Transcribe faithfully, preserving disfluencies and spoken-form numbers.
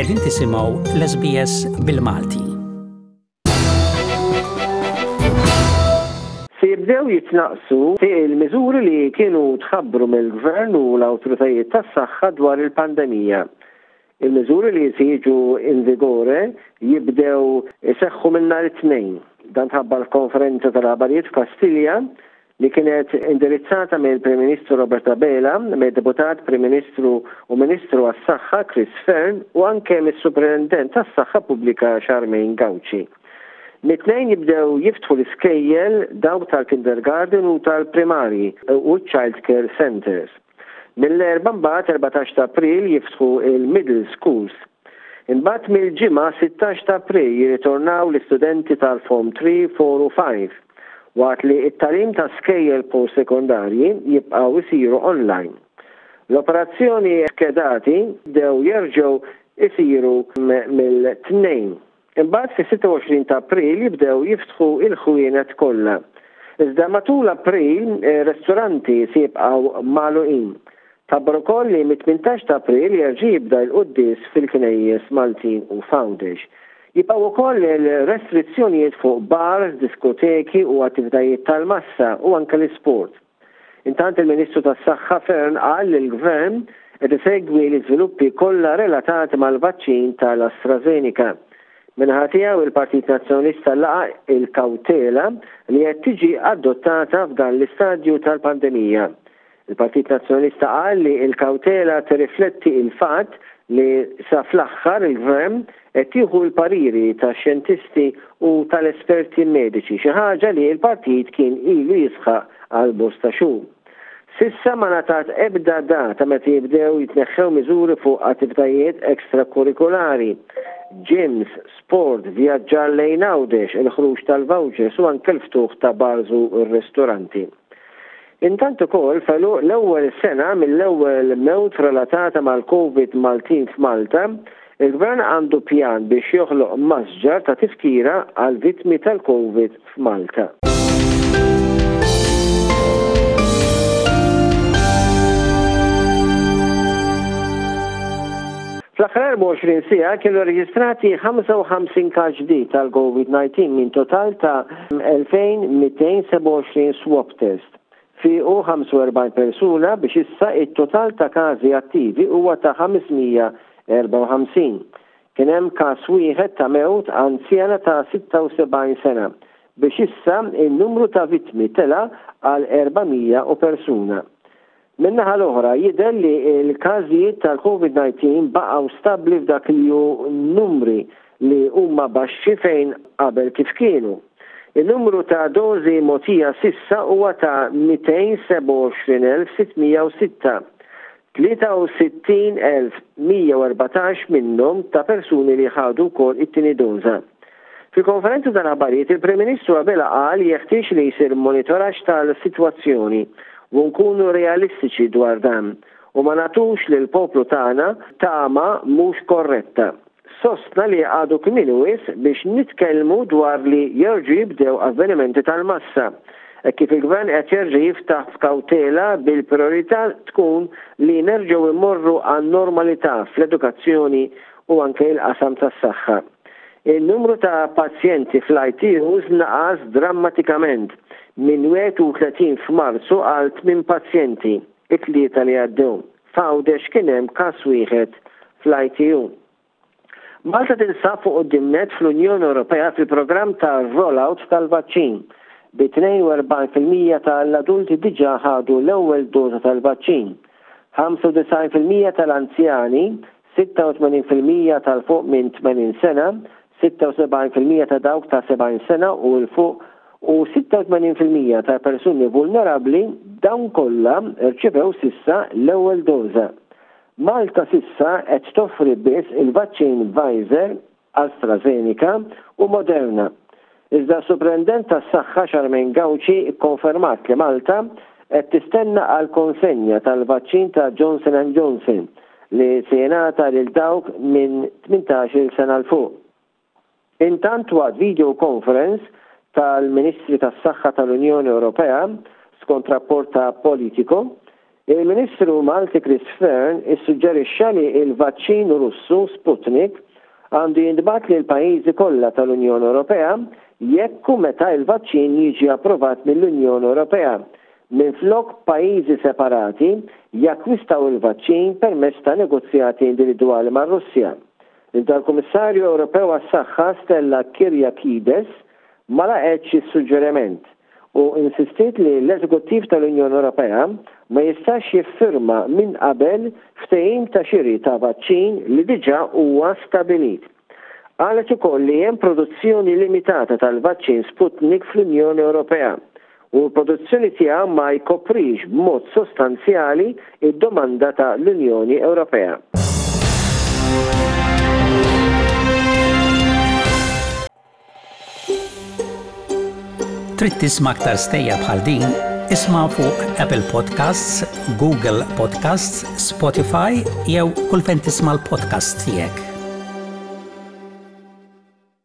Qegħdin tisimgħu l-S B S bil-Malti. Se jibdew jitnaqsu il-miżuri li kienu tħabbru mill-Gvern u l-awtoritajiet tas-saħħa dwar il-pandemija. Il-miżuri li se jiġu in vigore jibdew iseħħu minn nhar it-Tnejn. Dan tħabbar f'konferenza tal-aħbarijiet f'Kastilja li kienet indirizzata mill-Prim Ministru Robert Abela, mill-Deputat Prim Ministru u Ministru għas-Saħħa Chris Fearne u anke mis-Superintendent tas-Saħħa Pubblika Charmaine Gauci. Mit-Tnejn jibdew jiftħu l-iskejjel, dawk tal-kindergarten u tal-primarji u child care centers. Mill-Erbgħa mbagħad, erbatax ta' April, jiftħu il-middle schools. Imbagħad mill-Ġimgħa sittax ta' April jirritornaw l-istudenti tal-Form tlieta, erbgħa u ħamsa, waqt li it-tagħlim ta' skejjel post sekondarji jibqgħu jsiru online. L-operazzjoni skedati bdew jerġgħu isiru mill-Tnejn. Imbagħad fis-sitta u għoxrin ta' April jibdew jiftħu il-ħwienet kollha. Iżda matul April eh, ristoranti se jibqgħu magħluqin. Tħabbar ukoll li mit-tmintax ta' April jerġa' jibda l-quddies fil-knejjes Maltin u f'Għawdex. Jibqgħu wkoll il-restrizzjonijiet fuq bars, diskoteki u attivitajiet tal-massa u anke l-isport. Intant, il-Ministru tas-Saħħa Fearne qal li l-Gvern qed isegwi l-iżviluppi kollha relatati mal-vaċċin tal-AstraZeneca. Min-naħa tiegħu, il-Partit Nazzjonalista laqa il-kawtela li qed tiġi adottata f'dan l-istadju tal-pandemija. Il-Partit Nazzjonalista qal li il-kawtela tirrifletti il-fatt li sa fl-aħħar il-Gvern qed jieħu l-pariri ta' xjentisti u tal-esperti mediċi, xi ħaġa li l-partit kien ilu jisħaq għal bosta xhur. S'issa ma ngħatat ebda data meta jibdew jitneħħew miżuri fuq attivitajiet ekstrakurrikulari, gyms, sport, vjaġġar lejn Għawdex, il-ħruġ tal-vouchers u anke l-ftuħ ta' bars u r-ristoranti. Intant ukoll, f'għeluq l-ewwel sena mill-ewwel mewt relatata mal-Covid Maltin f'Malta, il-Gvern għandu pjan biex joħloq masġar ta' tifkira għal vittmi tal-Covid f'Malta. Fl-aħħar erbgħa u għoxrin siegħa kienu reġistrati ħamsa u ħamsin każ ġdid tal-Covid disa minn total ta' elfejn mitejn u sebgħa u għoxrin swab test. Fiqu ħamsa u erbgħin persuna, biex issa it-total ta' każi attivi huwa ta' ħames mija u erbgħa u ħamsin. Kien hemm każ wieħed ta' mewt, anzjana ta' sitta u sebgħin sena, biex issa il-numru ta' vittmi tela għal erba' mija u persuna. Min-naħa l-oħra, jidher li l-każijiet tal-Covid disa baqgħu stabli f'dak li hu numri li huma baxxi fejn qabel kif kienu. Il-numru ta' dozi mogħtija s'issa huwa ta' mitejn u sebgħa u għoxrin elf sitt mija u sitta. tlieta u sittin elf mija u erbatax minnhom ta' persuni li ħadu wkoll it-tieni doża. Fil-konferenza tal-aħbarijiet, il-Prim Ministru Abela qal jeħtieġ li jsir monitoraġġ tal-sitwazzjoni u nkunu realistiċi dwar dan u ma nagħtux lil poplu tagħna tama mhux korretta. Sostna li għadu kmieni wisq biex nitkellmu dwar li jerġu jibdew avvenimenti tal-massa. E kif il-gvern qed jerġa' jiftaħ f'kawtela, bil-priorità tkun li nerġgħu immorru għan normalità fl-edukazzjoni u anke il-qasam tas-saħħa. Il-numru ta' pazjenti fl-I T Us naqas drammatikament minn wieħed u tletin f'Marzu għal tmien pazjenti it-Tlieta li għaddew. F'Għawdex kien hemm każ wieħed fl-I T U. Malta tinsab fuq quddiem fl-Unjoni Ewropea fil-programm ta' rollout tal-vaċċin, bi tnejn u erbgħin fil-mija tal-adulti diġà ħadu l-ewwel doża tal-vaċċin. ħamsa u disgħin fil-mija tal-anzjani, sitta u tmenin fil-mija tal-fuq minn tmenin sena, sitta u sebgħin fil-mija ta' dawk ta' sebgħin sena u 'l fuq u sitta u tmenin fil-mija ta' persuni vulnerabli, dawn kollha rċevew s'issa l-ewwel doża. Malta s'issa qed toffri biss il-vaċċin Pfizer, AstraZeneca u Moderna. Iżda s-Superintendent tas-Saħħa Charmaine Gauci ikkonfermat li Malta qed tistenna għal konsenja tal-vaċċin ta' Johnson and Johnson li se jingħata lil dawk minn tmintax-il sena 'l fuq. Intant, waqt video conference tal-Ministri tas-Saħħa tal-Unjoni Ewropea, skont rapport ta' Politico, Il-Ministru Malti Chris Fearne issuġġerixxa li il-vaċċin Russu Sputnik għandu jintbagħat lil pajjiżi kollha tal-Unjoni Ewropea jekk u meta il-vaċċin jiġi approvat mill-Unjoni Ewropea, minflok pajjiżi separati jakkwistaw il-vaċċin permezz ta' negozjati individwali mar-Russja. Iżda l-Kummissarju Ewropew għas-Saħħa Stella Kyriakides ma laqgħetx is-suġġeriment u insistiet li l-Eżekuttiv tal-Unjoni Ewropea ma jistax jiffirma minn qabel ftehim ta' xiri ta' vaċċin li diġà huwa stabilit. Qalet ukoll li hemm produzzjoni limitata tal-vaċċin Sputnik fl-Unjoni Ewropea u l-produzzjoni tiegħu ma jkoprix b'mod sostanzjali id-domanda ta' l-Unjoni Ewropea. Trid tisma' aktar stejjer bħal din? Isma' fuq Apple Podcasts, Google Podcasts, Spotify jew kull fejn tisma' l-podcasts tiegħek.